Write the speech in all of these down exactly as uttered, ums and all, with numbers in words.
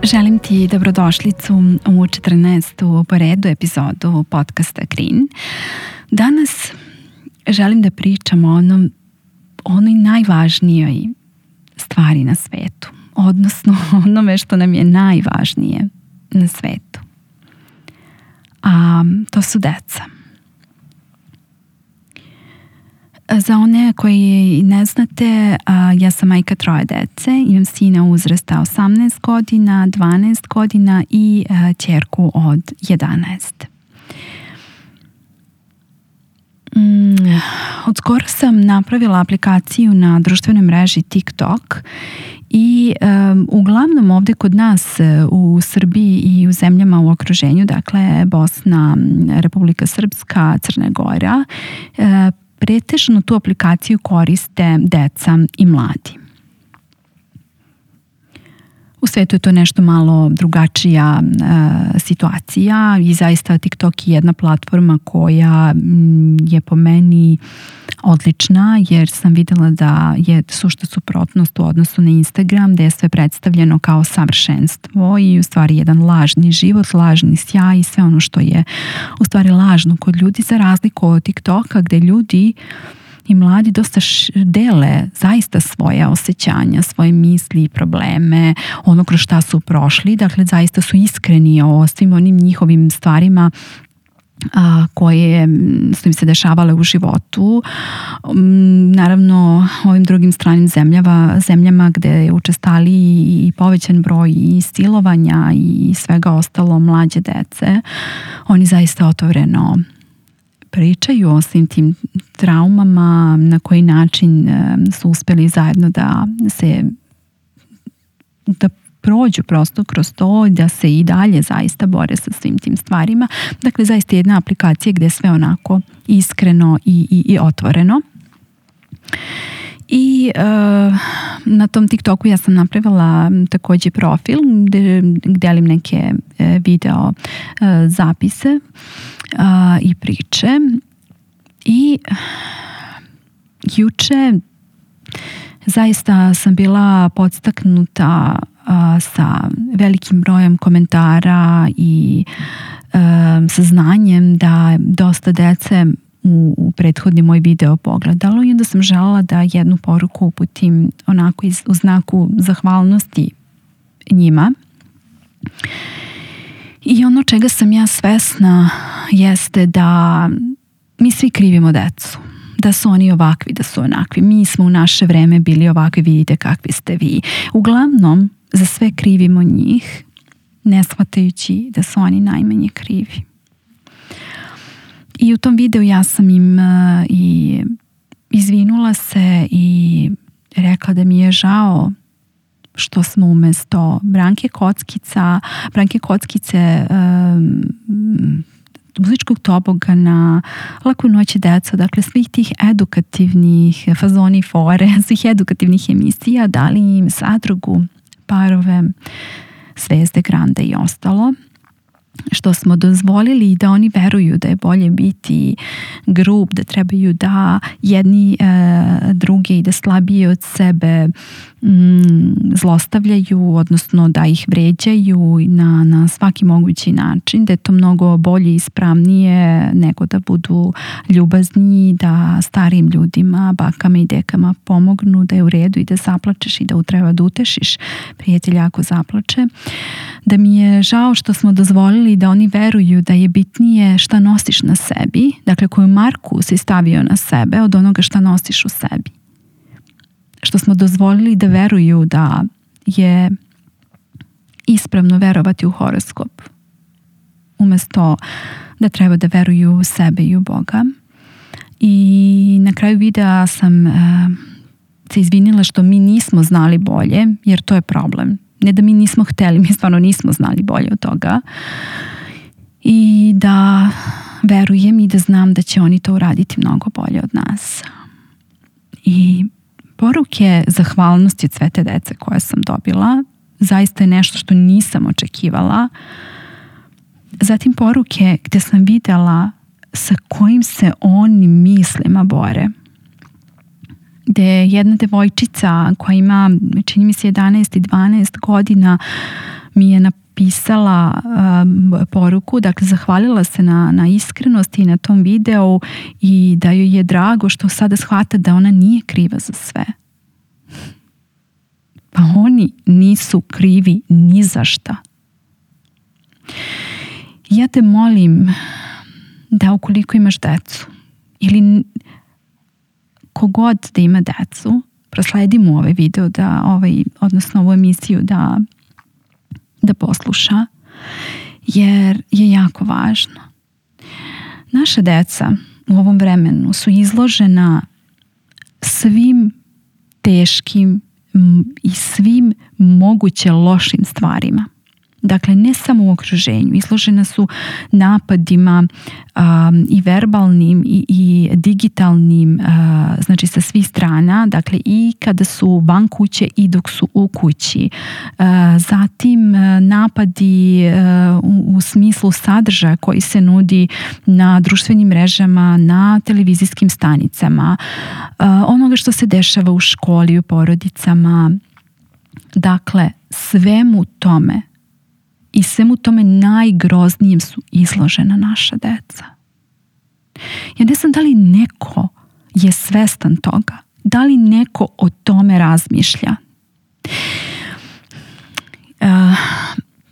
Želim ti dobrodošlicu u četrnaestu po redu epizodu podcasta Green. Danas želim da pričam o onom, onoj najvažnijoj stvari na svetu, odnosno onome što nam je najvažnije na svetu. A to su deca. Za one koji ne znate, ja sam majka troje dece, imam sina uzrasta osamnaest godina, dvanaest godina i ćerku od jedanaest. Od skoro sam napravila aplikaciju na društvenoj mreži TikTok i um, uglavnom ovdje kod nas u Srbiji i u zemljama u okruženju, dakle Bosna, Republika Srpska, Crna Gora, uh, pretežno tu aplikaciju koriste deca i mladi. U svetu je to nešto malo drugačija e, situacija i zaista TikTok je jedna platforma koja m, je po meni odlična, jer sam vidjela da je sušta suprotnost u odnosu na Instagram, gdje je sve predstavljeno kao savršenstvo i u stvari jedan lažni život, lažni sjaj i sve ono što je u stvari lažno kod ljudi, za razliku od TikToka gdje ljudi i mladi dosta dele zaista svoje osjećanja, svoje misli i probleme, ono kroz šta su prošli, dakle zaista su iskreni o svim onim njihovim stvarima a, koje su im se dešavale u životu. Naravno, ovim drugim stranim zemljama, zemljama gde je učestali i povećan broj i silovanja i svega ostalo mlađe dece, oni zaista otvoreno pričaju o svim tim traumama, na koji način su uspjeli zajedno da se da prođu prosto kroz to, da se i dalje zaista bore sa svim tim stvarima. Dakle, zaista jedna aplikacija gdje je sve onako iskreno i, i, i otvoreno. I uh, na tom TikToku ja sam napravila također profil gdje delim neke uh, video uh, zapise uh, i priče. I juče zaista sam bila podstaknuta uh, sa velikim brojem komentara i uh, saznanjem da dosta dece u, u prethodni moj video pogledalo i onda sam željela da jednu poruku uputim onako iz, u znaku zahvalnosti njima. I ono čega sam ja svesna jeste da mi svi krivimo decu, da su oni ovakvi, da su onakvi. Mi smo u naše vreme bili ovakvi, vidite kakvi ste vi. Uglavnom, za sve krivimo njih, ne shvatajući da su oni najmanje krivi. I u tom videu ja sam im uh, i izvinula se i rekla da mi je žao što smo umjesto Branke Kockica, Branke Kockice, um, muzičkog tobogana, Laku noć deco, dakle svih tih edukativnih fazoni fore, svih edukativnih emisija, dali im Zadrugu, Parove, Zvezde Grande i ostalo, što smo dozvolili da oni veruju da je bolje biti grub, da trebaju da jedni e, drugi i da slabije od sebe mm, zlostavljaju, odnosno da ih vređaju na, na svaki mogući način, da je to mnogo bolje i ispravnije nego da budu ljubazni, da starim ljudima, bakama i dekama pomognu, da je u redu i da zaplačeš i da treba da utešiš prijatelja ako zaplače. Da mi je žao što smo dozvolili da oni veruju da je bitnije šta nosiš na sebi, dakle koju marku si stavio na sebe od onoga šta nosiš u sebi. Što smo dozvolili da veruju da je ispravno verovati u horoskop, umjesto da treba da veruju u sebe i u Boga. I na kraju videa sam uh, se izvinila što mi nismo znali bolje, jer to je problem. Ne da mi nismo hteli, mi stvarno nismo znali bolje od toga. I da verujem i da znam da će oni to uraditi mnogo bolje od nas. I poruke zahvalnosti od sve te dece koje sam dobila zaista je nešto što nisam očekivala. Zatim poruke gdje sam vidjela sa kojim se oni mislima bore. gde jedna devojčica koja ima, čini mi se, jedanaest i dvanaest godina mi je napisala um, poruku, dakle zahvalila se na, na iskrenosti i na tom videu i da joj je drago što sada shvata da ona nije kriva za sve. Pa oni nisu krivi ni za šta. Ja te molim da ukoliko imaš decu ili kogod da ima decu, prosledi mu ovaj video, da, ovaj, odnosno ovu emisiju da, da posluša, jer je jako važno. Naša deca u ovom vremenu su izložena svim teškim i svim moguće lošim stvarima. Dakle, ne samo u okruženju, izložena su napadima um, i verbalnim i, i digitalnim, uh, znači sa svih strana, dakle i kada su van kuće i dok su u kući. Uh, zatim uh, napadi uh, u, u smislu sadržaja koji se nudi na društvenim mrežama, na televizijskim stanicama, uh, onoga što se dešava u školi, u porodicama. Dakle, svemu tome i svemu tome najgroznijem su izložena naša deca. Ja ne znam da li neko je svestan toga, da li neko o tome razmišlja. Uh,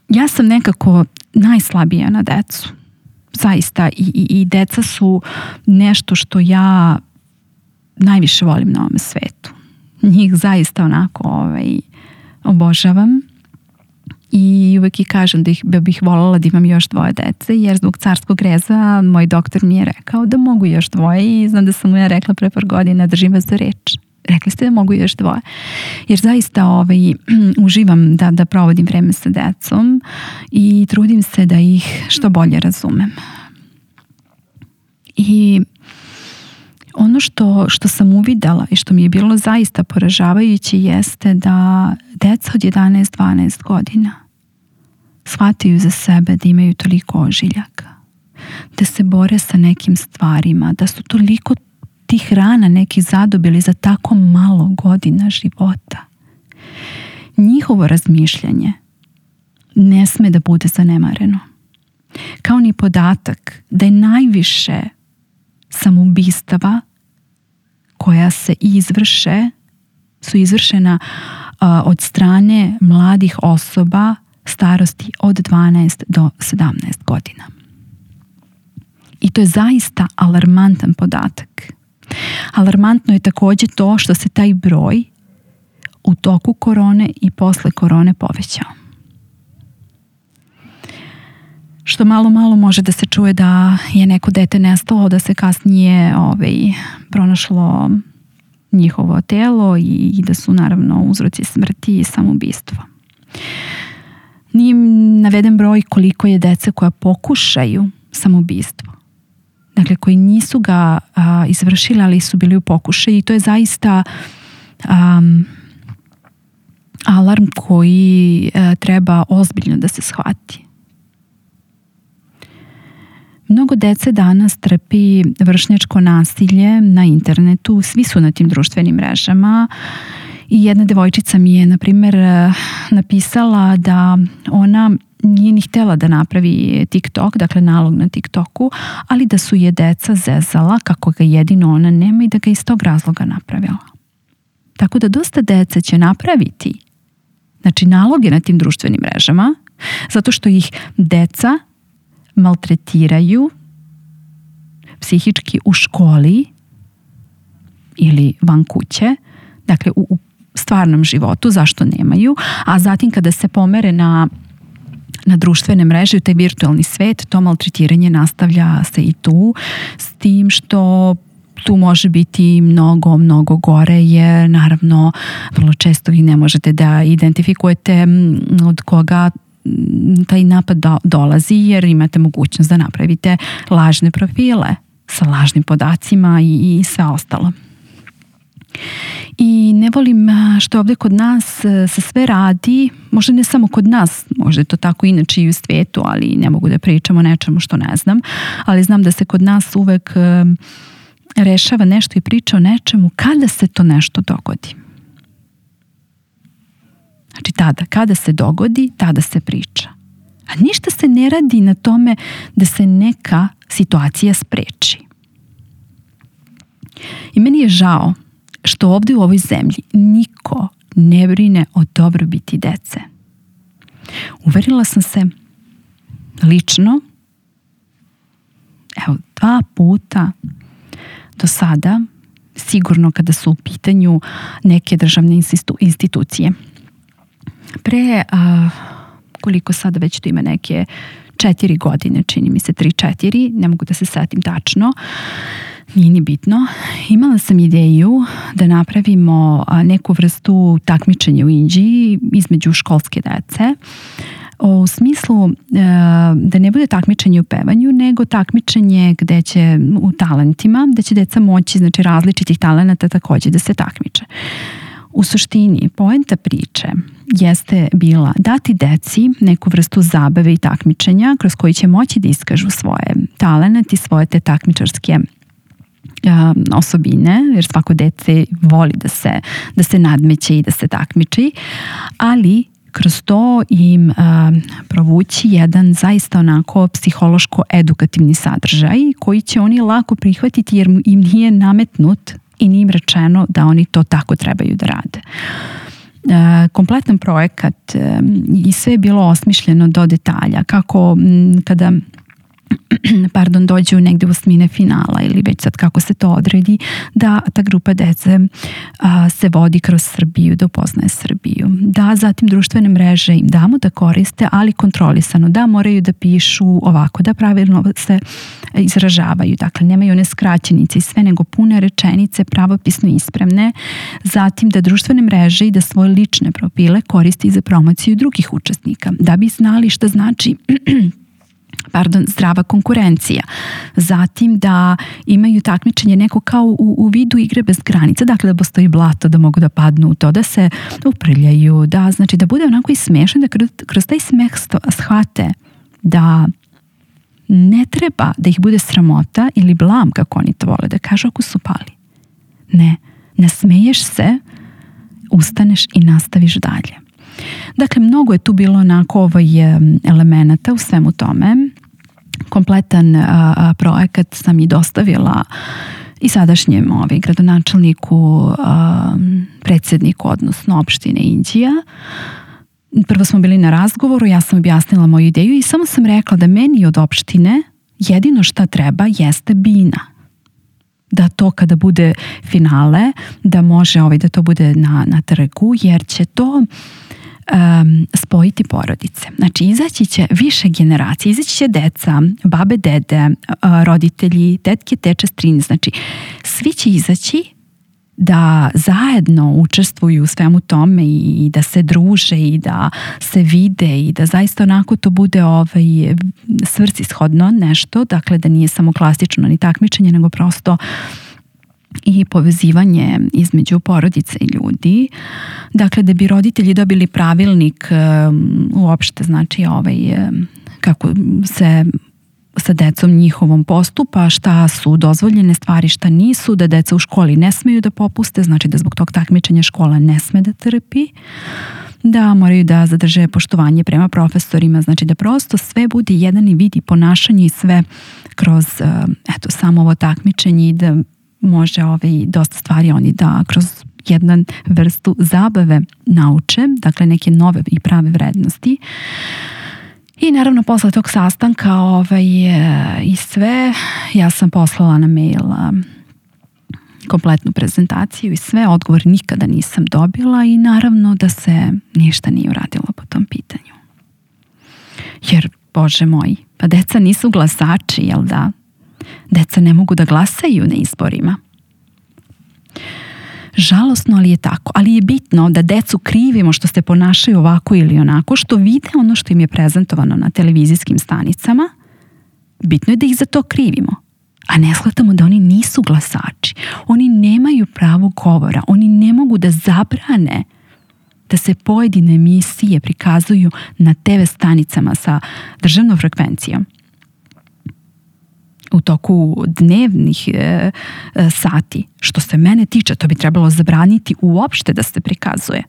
ja sam nekako najslabija na decu. Zaista. I, i, i deca su nešto što ja najviše volim na ovom svetu. Njih zaista onako ovaj, obožavam. I uvek i kažem da, ih, da bih voljela da imam još dvoje dece, jer zbog carskog reza moj doktor mi je rekao da mogu još dvoje i znam da sam mu ja rekla pre par godina, držim vas za reč. Rekli ste da mogu još dvoje. Jer zaista ovaj, uživam da, da provodim vreme sa decom i trudim se da ih što bolje razumem. I ono što, što sam uvidela i što mi je bilo zaista poražavajuće jeste da deca od jedanaest dvanaest godina shvataju za sebe da imaju toliko ožiljaka, da se bore sa nekim stvarima, da su toliko tih rana neki zadobili za tako malo godina života. Njihovo razmišljanje ne sme da bude zanemareno. Kao ni podatak da je najviše samoubistava koja se izvrše, su izvršena uh, od strane mladih osoba starosti od dvanaest do sedamnaest godina. I to je zaista alarmantan podatak. Alarmantno je također to što se taj broj u toku korone i posle korone povećao. Što malo malo može da se čuje da je neko dete nestalo, da se kasnije ovaj, pronašlo njihovo telo i, i da su naravno uzroci smrti i samoubistvo. Nije naveden broj koliko je dece koja pokušaju samoubistvo. Dakle, koji nisu ga a, izvršili, ali su bili u pokušaju i to je zaista um, alarm koji a, treba ozbiljno da se shvati. Mnogo dece danas trpi vršnjačko nasilje na internetu, svi su na tim društvenim mrežama i jedna devojčica mi je, na primjer, napisala da ona nije ni htjela da napravi TikTok, dakle nalog na TikToku, ali da su je deca zezala kako ga jedino ona nema i da ga iz tog razloga napravila. Tako da dosta dece će napraviti, znači, naloge na tim društvenim mrežama, zato što ih deca maltretiraju psihički u školi ili van kuće, dakle u, u stvarnom životu, zašto nemaju, a zatim kada se pomere na, na društvene mreže u taj virtualni svet, to maltretiranje nastavlja se i tu, s tim što tu može biti mnogo, mnogo gore, jer naravno vrlo često vi ne možete da identifikujete od koga taj napad do, dolazi, jer imate mogućnost da napravite lažne profile sa lažnim podacima i, i sve ostalo. I ne volim što ovdje kod nas se sve radi, možda ne samo kod nas, možda je to tako inače i u svijetu, ali ne mogu da pričam o nečemu što ne znam, ali znam da se kod nas uvek rešava nešto i priča o nečemu kada se to nešto dogodi. Znači tada, kada se dogodi, tada se priča. A ništa se ne radi na tome da se neka situacija spreči. I meni je žao što ovdje u ovoj zemlji niko ne brine o dobrobiti dece. Uverila sam se lično, evo, dva puta do sada, sigurno kada su u pitanju neke državne institucije. Pre, a, koliko sada već to ima neke četiri godine, čini mi se tri, četiri, ne mogu da se setim tačno, nije ni bitno. Imala sam ideju da napravimo neku vrstu takmičenja u Inđiji između školske dece, u smislu da ne bude takmičenje u pevanju, nego takmičenje gde će u talentima, gde će deca moći, znači različitih talenata takođe da se takmiče. U suštini, poenta priče jeste bila dati deci neku vrstu zabave i takmičenja kroz koji će moći da iskažu svoje talenat i svoje te takmičarske osobine, jer svako dete voli da se, da se nadmeće i da se takmiči, ali kroz to im uh, provući jedan zaista onako psihološko-edukativni sadržaj koji će oni lako prihvatiti jer im nije nametnut i nije im rečeno da oni to tako trebaju da rade. Uh, kompletan projekat uh, i sve je bilo osmišljeno do detalja, kako m, kada pardon, dođu negde u osmine finala ili već sad kako se to odredi, da ta grupa dece a, se vodi kroz Srbiju, da upoznaje Srbiju. Da zatim društvene mreže im damo da koriste, ali kontrolisano, da moraju da pišu ovako, da pravilno se izražavaju. Dakle, nemaju one skraćenice i sve, nego pune rečenice, pravopisno ispravne. Zatim da društvene mreže i da svoje lične profile koriste i za promociju drugih učesnika. Da bi znali šta znači pardon, zdrava konkurencija. Zatim da imaju takmičenje neko kao u, u vidu igre bez granica, dakle da postoji blato, da mogu da padnu u to, da se uprljaju, da znači da bude onako i smešno, da kroz, kroz taj smeh shvate da ne treba da ih bude sramota ili blam, kako oni to vole da kažu, ako su pali. Ne, nasmeješ se, ustaneš i nastaviš dalje. Dakle, mnogo je tu bilo onako ovaj elemenata u svemu tome. Kompletan a, a, projekat sam i dostavila i sadašnjem ovaj, gradonačelniku, a, predsjedniku, odnosno opštine Inđija. Prvo smo bili na razgovoru, ja sam objasnila moju ideju i samo sam rekla da meni od opštine jedino šta treba jeste bina. Da to kada bude finale, da može ovaj, da to bude na, na trgu, jer će to Um, spojiti porodice. Znači, izaći će više generacije, izaći će deca, babe, dede, uh, roditelji, tetke, teče, strine. Znači, svi će izaći da zajedno učestvuju u svemu tome i da se druže i da se vide i da zaista onako to bude ovaj, svrsishodno nešto, dakle da nije samo klasično ni takmičenje, nego prosto i povezivanje između porodice i ljudi. Dakle, da bi roditelji dobili pravilnik um, uopšte, znači ovaj, kako se sa decom njihovom postupa, šta su dozvoljene stvari, šta nisu, da deca u školi ne smeju da popuste, znači da zbog tog takmičenja škola ne sme da trpi, da moraju da zadrže poštovanje prema profesorima, znači da prosto sve bude jedan i vidi ponašanje i sve kroz eto, samo ovo takmičenje i da može ovaj, dosta stvari oni da kroz jednu vrstu zabave nauče, dakle neke nove i prave vrednosti. I naravno posle tog sastanka ovaj, i sve, ja sam poslala na mail kompletnu prezentaciju i sve, odgovor nikada nisam dobila i naravno da se ništa nije uradilo po tom pitanju. Jer, Bože moj, pa deca nisu glasači, jel da? Deca ne mogu da glasaju na izborima. Žalosno, ali je tako. Ali je bitno da decu krivimo što se ponašaju ovako ili onako, što vide ono što im je prezentovano na televizijskim stanicama. Bitno je da ih za to krivimo. A ne shvatamo da oni nisu glasači. Oni nemaju pravo govora. Oni ne mogu da zabrane da se pojedine emisije prikazuju na te ve stanicama sa državnom frekvencijom. u toku dnevnih e, e, sati. Što se mene tiče, to bi trebalo zabraniti uopšte da se prikazuje.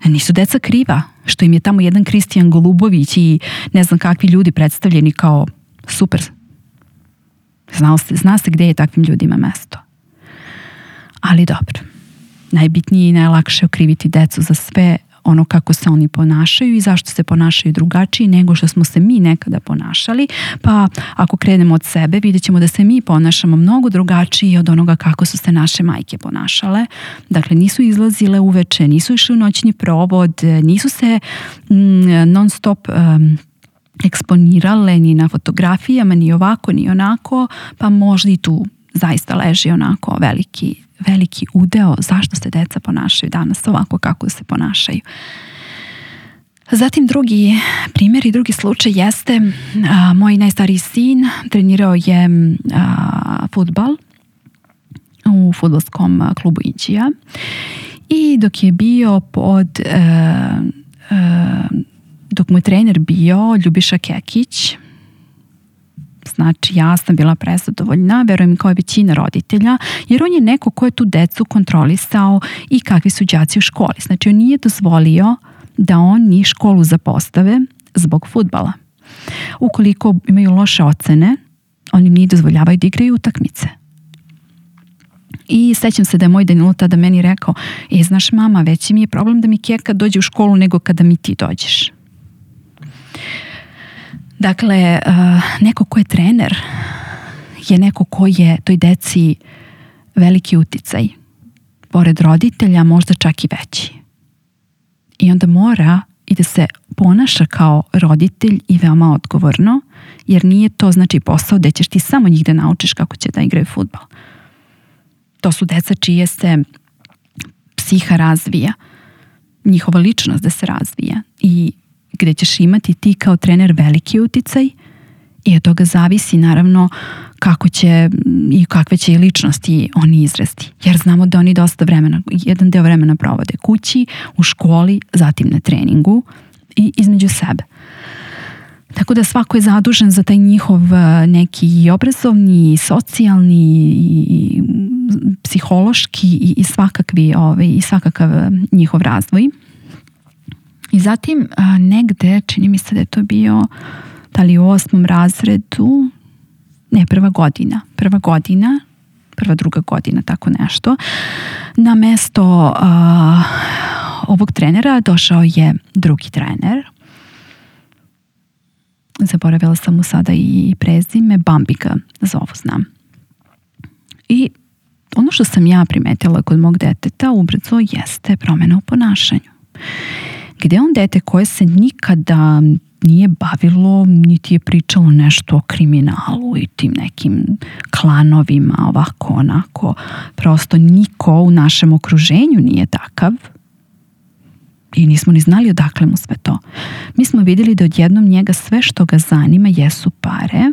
Nisu deca kriva što im je tamo jedan Kristijan Golubović i ne znam kakvi ljudi predstavljeni kao super. Zna se, zna se gde je takvim ljudima mesto. Ali dobro. Najbitnije i najlakše okriviti decu za sve ono kako se oni ponašaju i zašto se ponašaju drugačiji nego što smo se mi nekada ponašali. Pa ako krenemo od sebe, vidjet ćemo da se mi ponašamo mnogo drugačiji od onoga kako su se naše majke ponašale. Dakle, nisu izlazile uveče, nisu išli u noćni provod, nisu se mm, non stop um, eksponirale ni na fotografijama, ni ovako, ni onako, pa možda i tu zaista leži onako veliki veliki udeo zašto se deca ponašaju danas ovako kako se ponašaju. Zatim drugi primjer i drugi slučaj jeste a, moj najstariji sin trenirao je a, fudbal u fudbalskom klubu Inđija i dok je bio pod a, a, dok mu je trener bio Ljubiša Kekić. Znači, ja sam bila prezadovoljna, verujem kao i većina roditelja, jer on je neko ko je tu decu kontrolisao i kakvi su đaci u školi. Znači, on nije dozvolio da oni školu zapostave zbog fudbala. Ukoliko imaju loše ocene, oni nije dozvoljavaju da igraju utakmice. I sećam se da je moj Danilo tada meni rekao, e, znaš mama, veći mi je problem da mi Keka dođe u školu nego kada mi ti dođeš. Dakle, neko ko je trener je neko ko je toj deci veliki uticaj. Pored roditelja možda čak i veći. I onda mora i da se ponaša kao roditelj i veoma odgovorno, jer nije to znači posao da ćeš ti samo njih da naučiš kako će da igraju fudbal. To su deca čije se psiha razvija, njihova ličnost da se razvija i gde ćeš imati ti kao trener veliki uticaj i od toga zavisi naravno kako će i kakve će i ličnosti oni izrasti. Jer znamo da oni dosta vremena, jedan deo vremena provode kući, u školi, zatim na treningu i između sebe. Tako da svako je zadužen za taj njihov neki obrazovni, socijalni i psihološki i, i svakakvi ovaj, i svakakav njihov razvoj. I zatim a, negde, čini mi se da je to bio da li u osmom razredu, ne, prva godina, prva godina, prva druga godina, tako nešto, na mesto a, ovog trenera došao je drugi trener. Zaboravila sam mu sada i prezime, Bambi ga zovu, znam. I ono što sam ja primetila kod mog deteta ubrzo jeste promjena u ponašanju. Gde on dete koje se nikada nije bavilo, niti je pričalo nešto o kriminalu i tim nekim klanovima, ovako, onako. Prosto niko u našem okruženju nije takav i nismo ni znali odakle mu sve to. Mi smo vidjeli da odjednom njega sve što ga zanima jesu pare,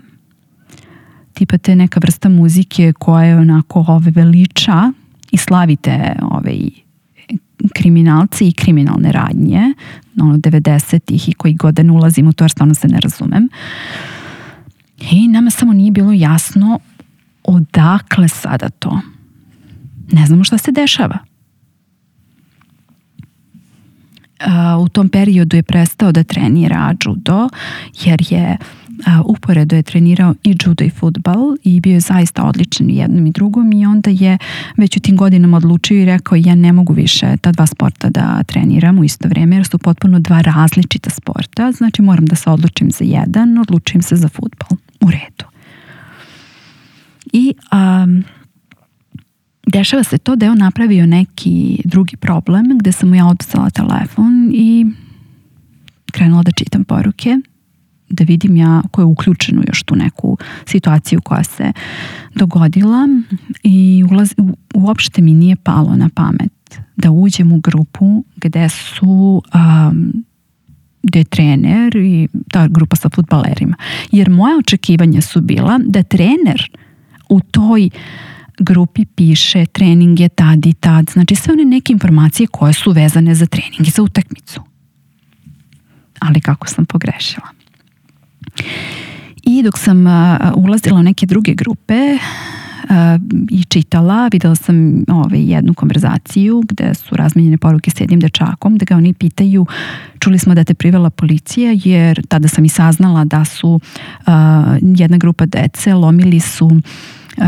tipa te neka vrsta muzike koja je onako ove veliča i slavite ove kriminalci i kriminalne radnje, ono devedesetih i koji god da ne ulazim u to jer stvarno se ne razumem. I nama samo nije bilo jasno odakle sada to. Ne znamo šta se dešava. Uh, u tom periodu je prestao da trenira judo jer je uh, uporedo je trenirao i judo i fudbal i bio je zaista odličan u jednom i drugom i onda je već u tim godinama odlučio i rekao ja ne mogu više ta dva sporta da treniram u isto vrijeme jer su potpuno dva različita sporta, znači moram da se odlučim za jedan, odlučim se za fudbal. U redu. I um, dešava se to da je on napravio neki drugi problem gde sam mu ja oduzela telefon i krenula da čitam poruke, da vidim ja ko je uključen u još tu neku situaciju koja se dogodila i ulaz, u, uopšte mi nije palo na pamet da uđem u grupu gde su um, gde je trener i ta grupa sa fudbalerima. Jer moje očekivanja su bila da trener u toj grupi piše trening je tad i tad. Znači sve one neke informacije koje su vezane za trening i za utakmicu. Ali kako sam pogrešila. I dok sam ulazila u neke druge grupe i čitala, videla sam ovaj, jednu konverzaciju gde su razmenjene poruke s jednim dečakom, gde ga oni pitaju: čuli smo da te privela policija, jer tada sam i saznala da su uh, jedna grupa dece lomili su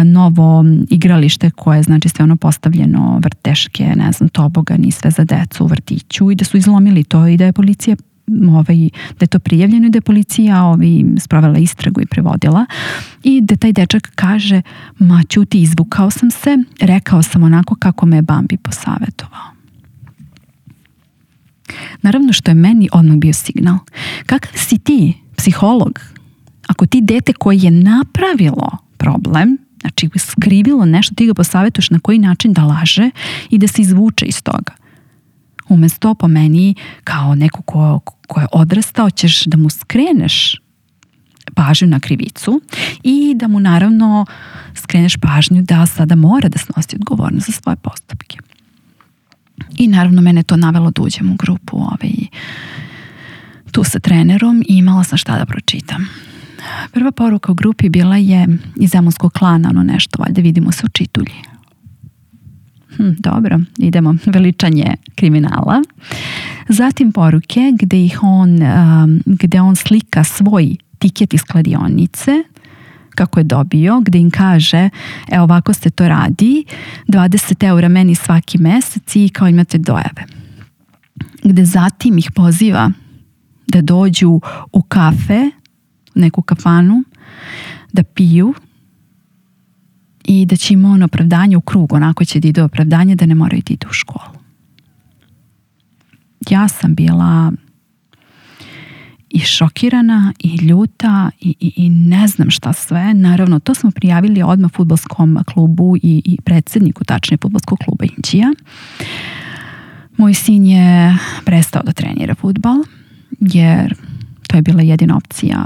novo igralište koje je, znači, sve ono postavljeno, vrteške, ne znam, tobogan i sve za decu u vrtiću, i da su izlomili to i da je policija ovaj, da je to prijavljeno i da je policija ovaj, sprovela istragu i prevodila, i da taj dečak kaže: ma ćuti, izvukao sam se, rekao sam onako kako me je Bambi posavetovao. Naravno što je meni odmah bio signal: kakav si ti psiholog ako ti dete koje je napravilo problem, znači skrivilo nešto, ti ga posavetuješ na koji način da laže i da se izvuče iz toga. Umesto, po meni, kao neko ko, ko je odrastao, ćeš da mu skreneš pažnju na krivicu i da mu naravno skreneš pažnju da sada mora da snosi odgovornost za svoje postupke. I naravno mene to navelo da uđem u grupu ovaj, tu sa trenerom i imala sam šta da pročitam. Prva poruka u grupi bila je iz Zemunskog klana, ono nešto, valjda vidimo se u Čitulji. Hm, dobro, idemo, veličanje kriminala. Zatim poruke gde ih on, um, gde on slika svoj tiket iz kladionice, kako je dobio, gde im kaže: evo ovako se to radi, dvadeset eura meni svaki mesec i kao imate dojave. Gde zatim ih poziva da dođu u kafe, neku kafanu, da piju i da će im on opravdanje u krug, onako će da ide opravdanje da ne moraju da idu u školu. Ja sam bila i šokirana i ljuta i, i, i ne znam šta sve. Naravno, to smo prijavili odmah fudbalskom klubu i, i predsjedniku, tačnije fudbalskog kluba Inđija. Moj sin je prestao da trenira fudbal, jer to je bila jedina opcija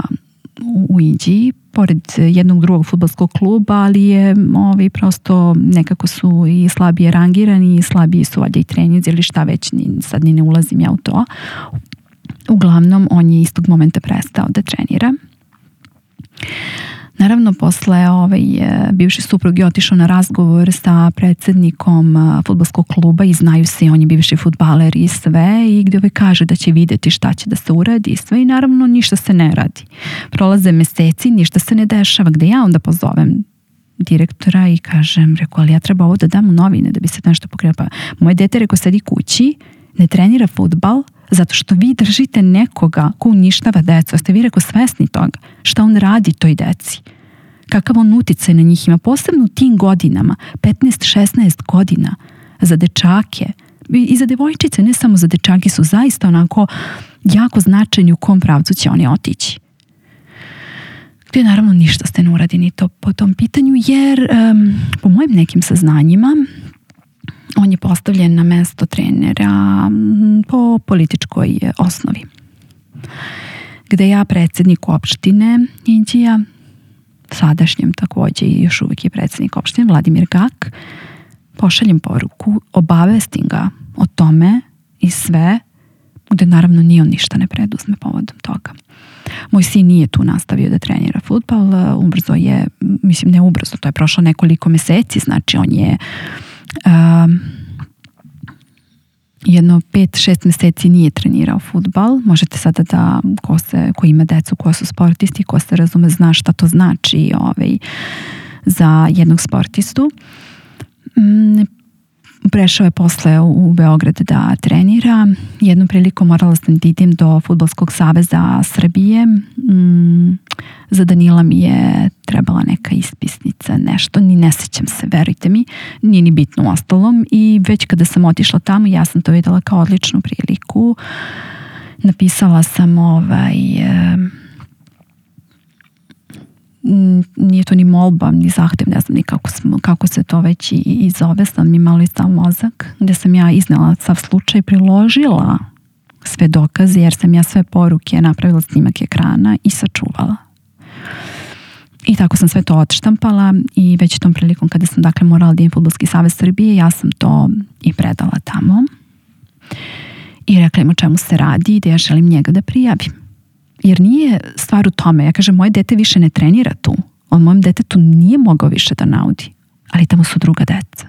u, u Inđiji, pored jednog drugog fudbalskog kluba, ali je ovi prosto nekako su i slabije rangirani i slabiji su valjda i treninzi ili šta već, ni, sad ni ne ulazim ja u to. Uglavnom, on je istog momenta prestao da trenira. Naravno, posle ovaj, bivši suprug je otišao na razgovor sa predsjednikom fudbalskog kluba i znaju se, on je bivši fudbaler i sve, i gdje ovaj kaže da će vidjeti šta će da se uradi i sve, i naravno ništa se ne radi. Prolaze meseci, ništa se ne dešava, gdje ja onda pozovem direktora i kažem, rekao, ali ja treba ovo da dam u novine da bi se nešto pokrenulo. Pa moje dete, rekao, sedi kući, ne trenira fudbal, zato što vi držite nekoga ko uništava decu. Ste vi, rekao, svesni toga šta on radi toj deci, kakav on uticaj na njih ima, posebno u tim godinama, petnaest šesnaest godina, za dečake i za devojčice, ne samo za dečake, su zaista onako jako značajni u kom pravcu će oni otići. Gdje naravno ništa ste ne uradi ni to po tom pitanju, jer um, po mojim nekim saznanjima on je postavljen na mesto trenera po političkoj osnovi. Gde ja predsjednik opštine Inđija, sadašnjem također i još uvijek je predsjednik opštine Vladimir Gak, pošaljem poruku, obavestim ga o tome i sve, gde naravno ni on ništa ne preduzme povodom toga. Moj sin nije tu nastavio da trenira fudbal, ubrzo je, mislim ne ubrzo, to je prošlo nekoliko meseci, znači on je Um, jedno pet šest meseci nije trenirao fudbal. Možete sada da ko, se, ko ima decu ko su sportisti, ko se razume, zna šta to znači ovaj, za jednog sportistu. um, Prešao je posle u, u Beograd da trenira. Jednom prilikom morala sam da idem do Fudbalskog saveza Srbije. Um, za Danila mi je trebala neka ispisnica, nešto, ni ne sećam se, verujte mi, nije ni bitno u ostalom, i već kada sam otišla tamo, ja sam to videla kao odličnu priliku. Napisala sam ovaj, e, nije to ni molba, ni zahtev, ne znam ni kako, smo, kako se to već i, i zove, sam mi malo izdao mozak, gde sam ja iznela sav slučaj, priložila sve dokaze, jer sam ja sve poruke napravila snimak ekrana i sačuvala. I tako sam sve to odštampala i već tom prilikom kada sam dakle morala da idem Fudbalski savez Srbije, ja sam to i predala tamo i rekla im o čemu se radi i da ja želim njega da prijavim. Jer nije stvar u tome. Ja kažem, moje dete više ne trenira tu. On mojem detetu nije mogao više da naudi. Ali tamo su druga deca.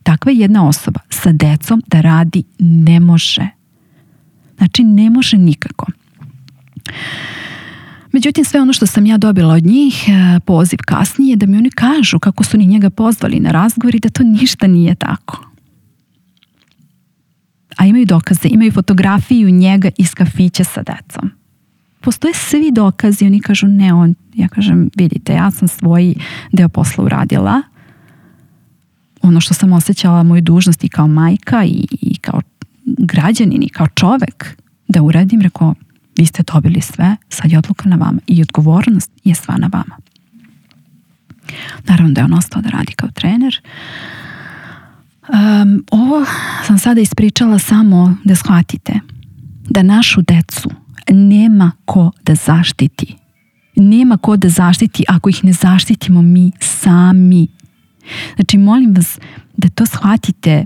Takva jedna osoba sa decom da radi ne može. Znači ne može nikako. Međutim, sve ono što sam ja dobila od njih, poziv kasnije, da mi oni kažu kako su ni njega pozvali na razgovor i da to ništa nije tako. A imaju dokaze, imaju fotografiju njega iz kafića sa decom. Postoje svi dokazi, oni kažu ne, on, ja kažem, vidite, ja sam svoj deo posla uradila. Ono što sam osjećala moju dužnost i kao majka i, i kao građanin i kao čovek da uradim, rekao, vi ste dobili sve, sad je odluka na vama i odgovornost je sva na vama. Naravno da je on ostao da radi kao trener. Um, ovo sam sada ispričala samo da shvatite da našu decu nema ko da zaštiti. Nema ko da zaštiti ako ih ne zaštitimo mi sami. Znači, molim vas da to shvatite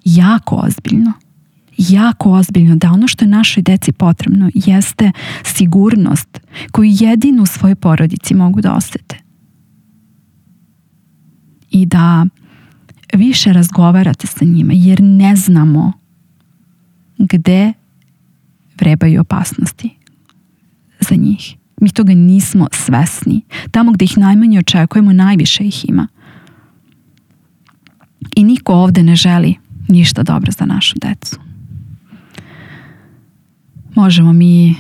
jako ozbiljno. Jako ozbiljno, da ono što je našoj deci potrebno jeste sigurnost koju jedino u svojoj porodici mogu da osete. I da više razgovarate sa njima, jer ne znamo gde vrebaju opasnosti za njih. Mi toga nismo svesni. Tamo gde ih najmanje očekujemo, najviše ih ima. I niko ovde ne želi ništa dobro za našu decu. Možemo mi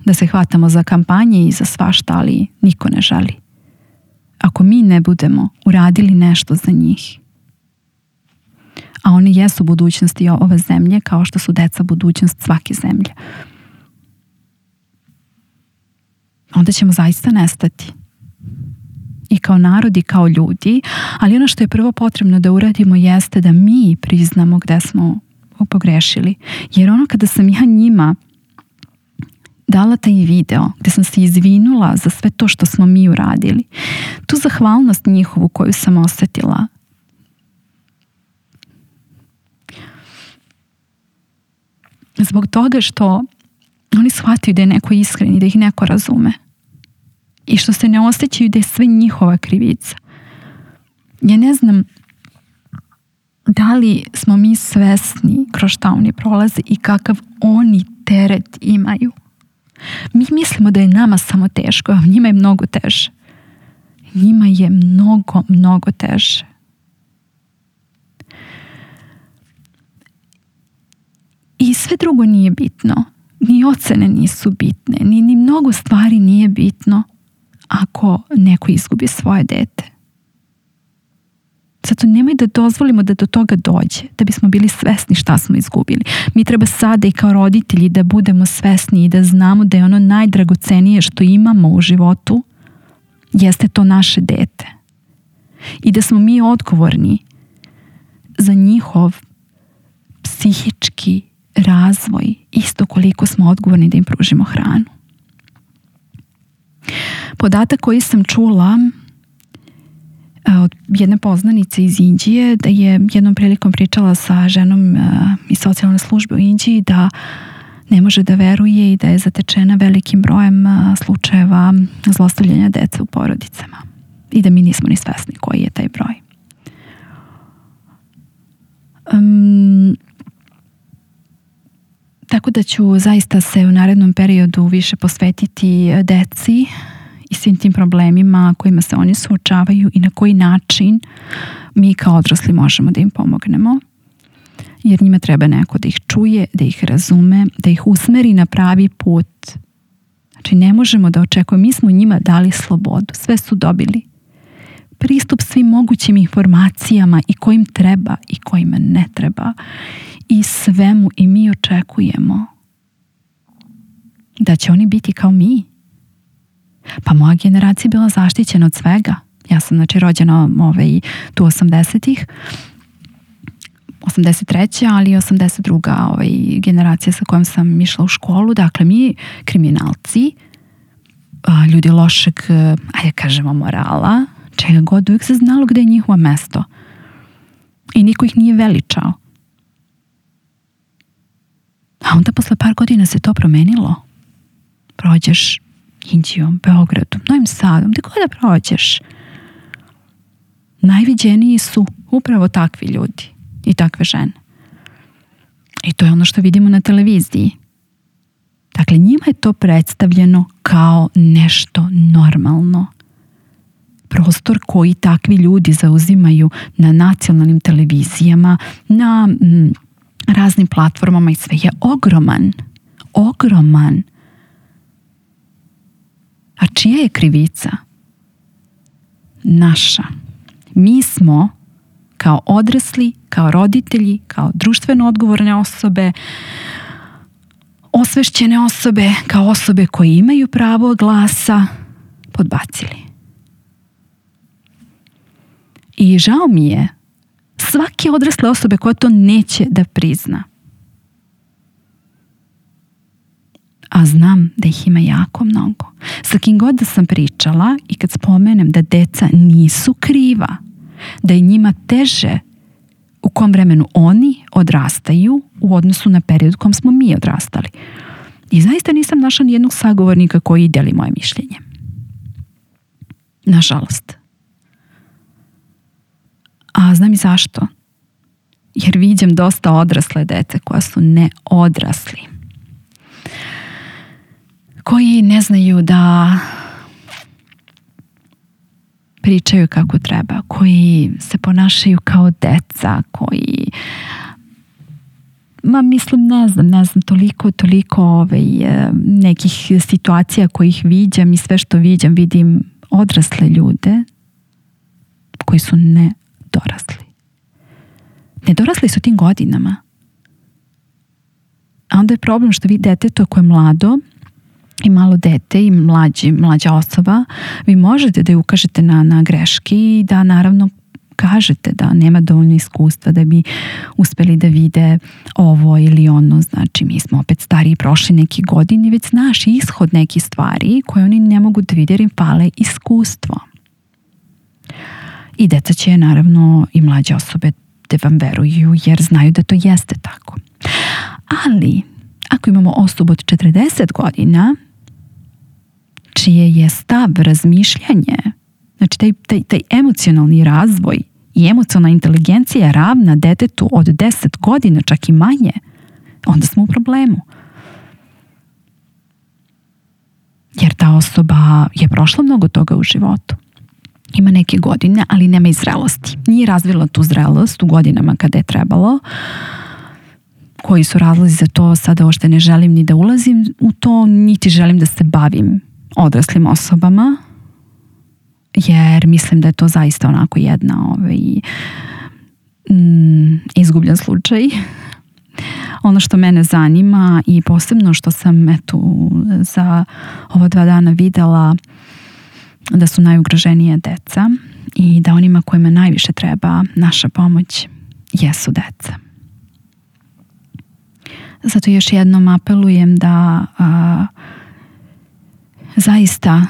da se hvatamo za kampanje i za svašta, ali niko ne želi. Ako mi ne budemo uradili nešto za njih, a oni jesu budućnosti ove zemlje, kao što su deca budućnost svake zemlje, onda ćemo zaista nestati. I kao narod i kao ljudi, ali ono što je prvo potrebno da uradimo jeste da mi priznamo gde smo pogrešili. Jer ono kada sam ja njima dala taj video gde sam se izvinula za sve to što smo mi uradili, tu zahvalnost njihovu koju sam osetila, zbog toga što oni shvataju da je neko iskren i da ih neko razume i što se ne osjećaju da je sve njihova krivica. Ja ne znam da li smo mi svesni kroz šta oni prolaze i kakav oni teret imaju. Mi mislimo da je nama samo teško, a njima je mnogo teže. Njima je mnogo, mnogo teže. I sve drugo nije bitno. Ni ocene nisu bitne. Ni, ni mnogo stvari nije bitno ako neko izgubi svoje dete. Zato nemoj da dozvolimo da do toga dođe, da bismo bili svesni šta smo izgubili. Mi treba sada i kao roditelji da budemo svesni i da znamo da je ono najdragocenije što imamo u životu jeste to naše dete. I da smo mi odgovorni za njihov psihički razvoj, isto koliko smo odgovorni da im pružimo hranu. Podatak koji sam čula od jedne poznanice iz Indije, da je jednom prilikom pričala sa ženom iz socijalne službe u Indiji, da ne može da veruje i da je zatečena velikim brojem slučajeva zlostavljanja dece u porodicama i da mi nismo ni svesni koji je taj broj. Um, tako da ću zaista se u narednom periodu više posvetiti deci i svim tim problemima kojima se oni suočavaju i na koji način mi kao odrasli možemo da im pomognemo. Jer njima treba neko da ih čuje, da ih razume, da ih usmeri na pravi put. Znači ne možemo da očekujemo, mi smo njima dali slobodu, sve su dobili. Pristup svim mogućim informacijama i kojim treba i kojima ne treba. I svemu i mi očekujemo da će oni biti kao mi. Pa moja generacija je bila zaštićena od svega. Ja sam znači rođena ovaj, tu osamdesetih, osamdeset treća ali i osamdeset druga ovaj, generacija sa kojom sam išla u školu. Dakle, mi kriminalci, ljudi lošeg, ajde kažemo, morala, čega god, uvijek se znalo gde je njihovo mesto. I niko ih nije veličao. A onda posle par godina se to promenilo. prođeš Inđijom, Beogradom, Novim Sadom, gde god da prođeš, najviđeniji su upravo takvi ljudi i takve žene. I to je ono što vidimo na televiziji. Dakle, njima je to predstavljeno kao nešto normalno. Prostor koji takvi ljudi zauzimaju na nacionalnim televizijama, na mm, raznim platformama i sve je ogroman. Ogroman. A čija je krivica? Naša. Mi smo kao odrasli, kao roditelji, kao društveno odgovorne osobe, osvešćene osobe, kao osobe koje imaju pravo glasa, podbacili. I žao mi je svake odrasle osobe koja to neće da prizna. A znam da ih ima jako mnogo. Sa kim god da sam pričala i kad spomenem da deca nisu kriva, da je njima teže u kom vremenu oni odrastaju u odnosu na period u kom smo mi odrastali. I zaista nisam našla nijednog sagovornika koji deli moje mišljenje. Nažalost. A znam i zašto. Jer viđem dosta odrasle dece koja su neodrasli. Koji ne znaju da pričaju kako treba, koji se ponašaju kao deca, koji ma mislim, ne znam, ne znam, toliko, toliko ovaj, nekih situacija kojih viđam i sve što viđam, vidim odrasle ljude koji su nedorasli. Nedorasli su tim godinama. A onda je problem što vi deteto koje je mlado i malo dete i mlađi, mlađa osoba, vi možete da ju ukažete na, na greški i da naravno kažete da nema dovoljno iskustva da bi uspeli da vide ovo ili ono. Znači, mi smo opet stariji, prošli neki godini, već znaš ishod nekih stvari koje oni ne mogu da vide jer im fale iskustvo. I deca će naravno i mlađe osobe da vam veruju jer znaju da to jeste tako. Ali ako imamo osobu od četrdeset godina čije je stav, razmišljanje, znači taj, taj, taj emocionalni razvoj i emocionalna inteligencija je ravna detetu od deset godina, čak i manje, onda smo u problemu. Jer ta osoba je prošla mnogo toga u životu. Ima neke godine, ali nema i zrelosti. Nije razvila tu zrelost u godinama kada je trebalo. Koji su razlozi za to, sada ošte ne želim ni da ulazim u to, niti želim da se bavim odraslim osobama, jer mislim da je to zaista onako jedna ovaj, mm, izgubljen slučaj. Ono što mene zanima i posebno što sam eto, za ova dva dana videla da su najugroženije deca i da onima kojima najviše treba naša pomoć jesu deca. Zato još jednom apelujem da a, zaista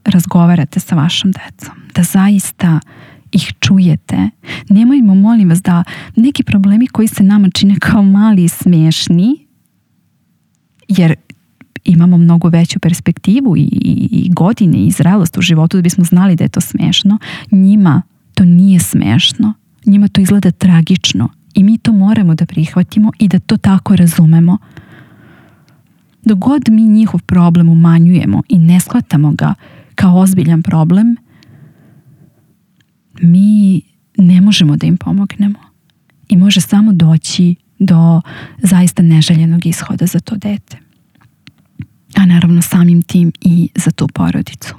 razgovarate sa vašom decom, da zaista ih čujete. Nemojmo, molim vas, da neki problemi koji se nama čine kao mali i smiješni, jer imamo mnogo veću perspektivu i, i, i godine i zrelost u životu da bismo znali da je to smiješno, njima to nije smiješno. Njima to izgleda tragično. I mi to moramo da prihvatimo i da to tako razumemo. Dok god mi njihov problem umanjujemo i ne shvatamo ga kao ozbiljan problem, mi ne možemo da im pomognemo. I može samo doći do zaista neželjenog ishoda za to dete. A naravno samim tim i za tu porodicu.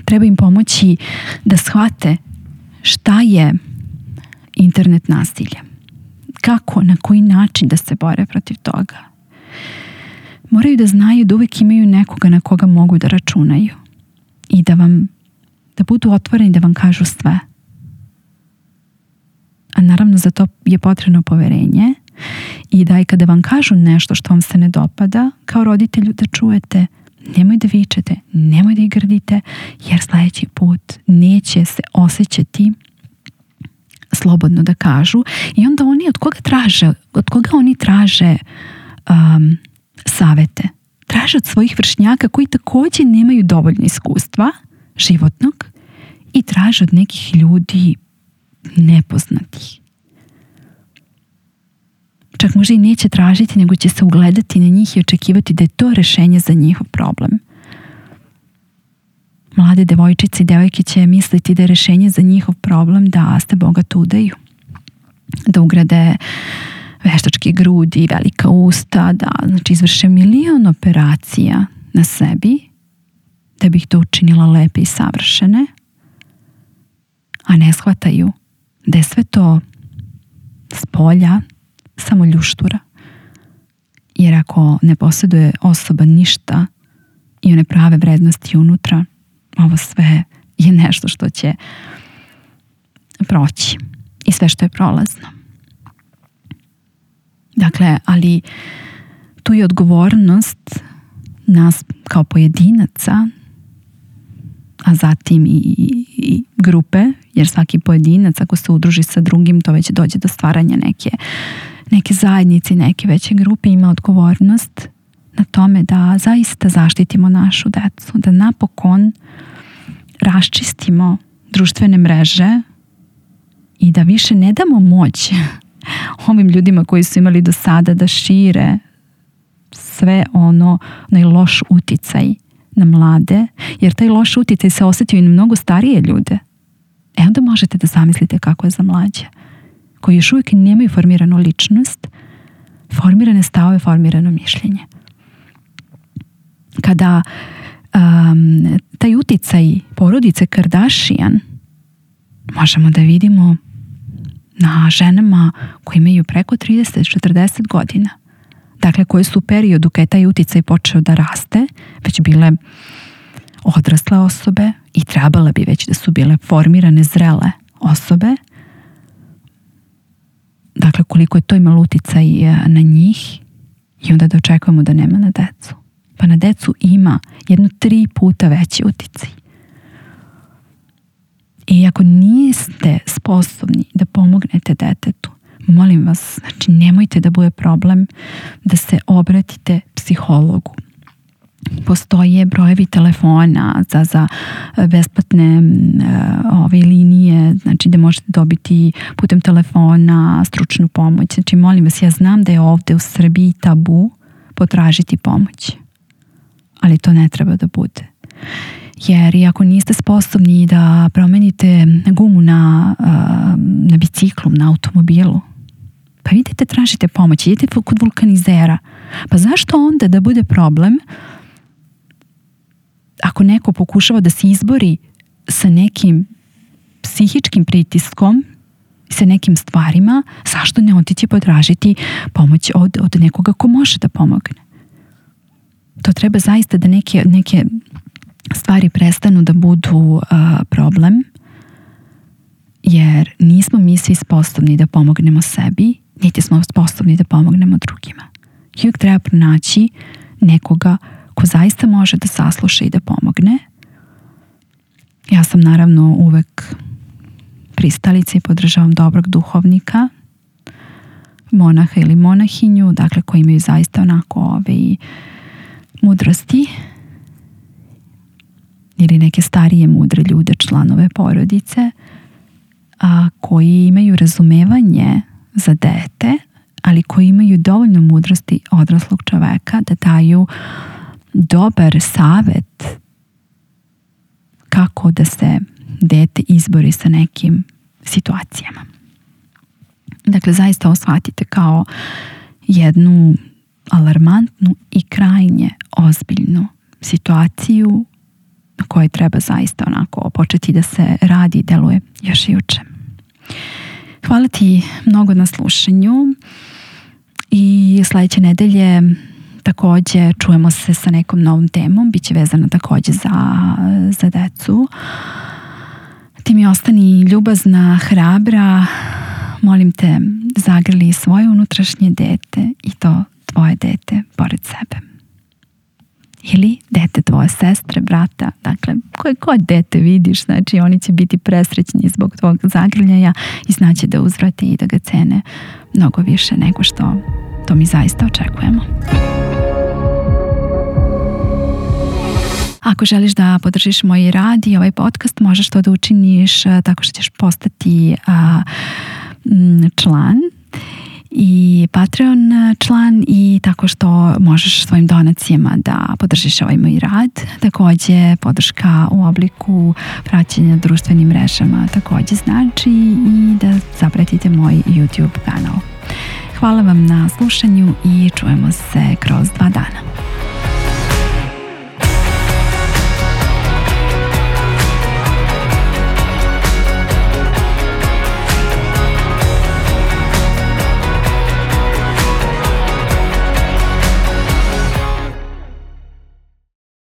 Treba im pomoći da shvate šta je internet nasilje. Kako, na koji način da se bore protiv toga. Moraju da znaju da uvijek imaju nekoga na koga mogu da računaju. I da vam, da budu otvoreni da vam kažu sve. A naravno za to je potrebno poverenje i da i kada vam kažu nešto što vam se ne dopada, kao roditelju da čujete, nemoj da vičete, nemoj da ih grdite, jer sljedeći put neće se osjećati slobodno da kažu. I onda oni od koga traže, od koga oni traže um, savete. Traže od svojih vršnjaka koji također nemaju dovoljno iskustva životnog i traže od nekih ljudi nepoznatih. Čak možda i neće tražiti, nego će se ugledati na njih i očekivati da je to rešenje za njihov problem. Mlade devojčice i devojke će misliti da je rešenje za njihov problem da se bogato udaju, da ugrade veštačke grudi, velika usta, da znači, izvrše milion operacija na sebi da bi ih to učinila lepe i savršene, a ne shvataju da je sve to s polja samo ljuštura. Jer ako ne posjeduje osoba ništa i one prave vrednosti unutra, ovo sve je nešto što će proći i sve što je prolazno. Dakle, ali tu je odgovornost nas kao pojedinaca, a zatim i, i grupe, jer svaki pojedinac ako se udruži sa drugim, to već dođe do stvaranja neke, neke zajednice, neke veće grupe, ima odgovornost na tome da zaista zaštitimo našu decu, da napokon raščistimo društvene mreže i da više ne damo moć ovim ljudima koji su imali do sada da šire sve ono, onaj loš uticaj na mlade, jer taj loš uticaj se osjetio i na mnogo starije ljude. E onda možete da zamislite kako je za mlađe, koji još uvijek nemaju formiranu ličnost, formirane stavove, formirano mišljenje. Kada um, taj uticaj porodice Kardashian možemo da vidimo na ženama koje imaju preko trideset do četrdeset godina. Dakle, koje su u periodu kada je taj uticaj počeo da raste, već bile odrasle osobe i trebale bi već da su bile formirane, zrele osobe. Dakle, koliko je to imalo uticaj na njih i onda da očekujemo da nema na decu. Pa na decu ima jedno tri puta veći uticaj. I ako niste sposobni da pomognete detetu, molim vas, znači nemojte da bude problem da se obratite psihologu. Postoje brojevi telefona za, za besplatne uh, ove linije, znači da možete dobiti putem telefona stručnu pomoć. Znači molim vas, ja znam da je ovde u Srbiji tabu potražiti pomoć, ali to ne treba da bude. Jer i ako niste sposobni da promenite gumu na, na biciklu, na automobilu, pa idete tražite pomoć, idete kod vulkanizera. Pa zašto onda da bude problem ako neko pokušava da se izbori sa nekim psihičkim pritiskom, sa nekim stvarima, zašto ne otići potražiti pomoć od, od nekoga ko može da pomogne? To treba zaista da neke, neke stvari prestanu da budu uh, problem, jer nismo mi svi sposobni da pomognemo sebi, niti smo sposobni da pomognemo drugima. I uvijek treba pronaći nekoga ko zaista može da sasluša i da pomogne. Ja sam naravno uvek pristalica i podržavam dobrog duhovnika, monaha ili monahinju, dakle koji imaju zaista onako ove mudrosti ili neke starije mudre ljude, članove porodice, a, koji imaju razumevanje za dete, ali koji imaju dovoljno mudrosti odraslog čoveka da daju dobar savet kako da se dete izbori sa nekim situacijama. Dakle, zaista ovo shvatite kao jednu alarmantnu i krajnje ozbiljnu situaciju na kojoj treba zaista onako početi da se radi i deluje još juče. Hvala ti mnogo na slušanju i sljedeće nedelje također čujemo se sa nekom novom temom, bit će vezano također za, za decu. Ti mi ostani ljubazna, hrabra, molim te zagrli svoje unutrašnje dete i to tvoje dete pored sebe. Ili dete tvoje sestre, brata, dakle koje god dete vidiš, znači oni će biti presrećni zbog tvog zagrljaja i znaće da uzvrate i da ga cene mnogo više nego što to mi zaista očekujemo. Ako želiš da podržiš moj rad i ovaj podcast, možeš to da učiniš tako što ćeš postati a, član i Patreon član i tako što možeš svojim donacijama da podržiš ovaj moj rad. Takođe podrška u obliku praćenja društvenim mrežama takođe znači i da zapratite moj YouTube kanal. Hvala vam na slušanju i čujemo se kroz dva dana.